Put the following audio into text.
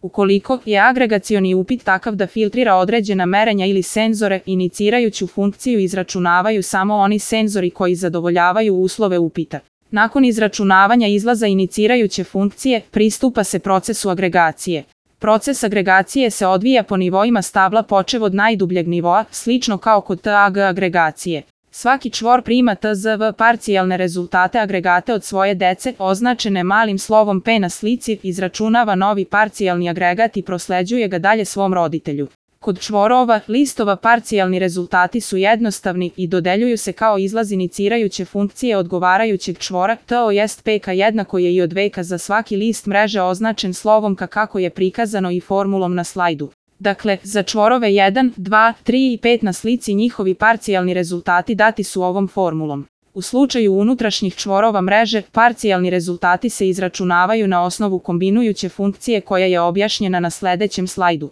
Ukoliko je agregacioni upit takav da filtrira određena merenja ili senzore, inicirajuću funkciju izračunavaju samo oni senzori koji zadovoljavaju uslove upita. Nakon izračunavanja izlaza inicirajuće funkcije, pristupa se procesu agregacije. Proces agregacije se odvija po nivoima stabla počev od najdubljeg nivoa, slično kao kod TAG agregacije. Svaki čvor prima TZV parcijalne rezultate agregate od svoje dece, označene malim slovom P na slici, izračunava novi parcijalni agregat i prosleđuje ga dalje svom roditelju. Kod čvorova, listova parcijalni rezultati su jednostavni i dodeljuju se kao izlaz inicirajuće funkcije odgovarajućeg čvora, tj. PK jednako je i od veka za svaki list mreže označen slovom K kako je prikazano i formulom na slajdu. Dakle, za čvorove 1, 2, 3 i 5 na slici njihovi parcijalni rezultati dati su ovom formulom. U slučaju unutrašnjih čvorova mreže, parcijalni rezultati se izračunavaju na osnovu kombinujuće funkcije koja je objašnjena na sledećem slajdu.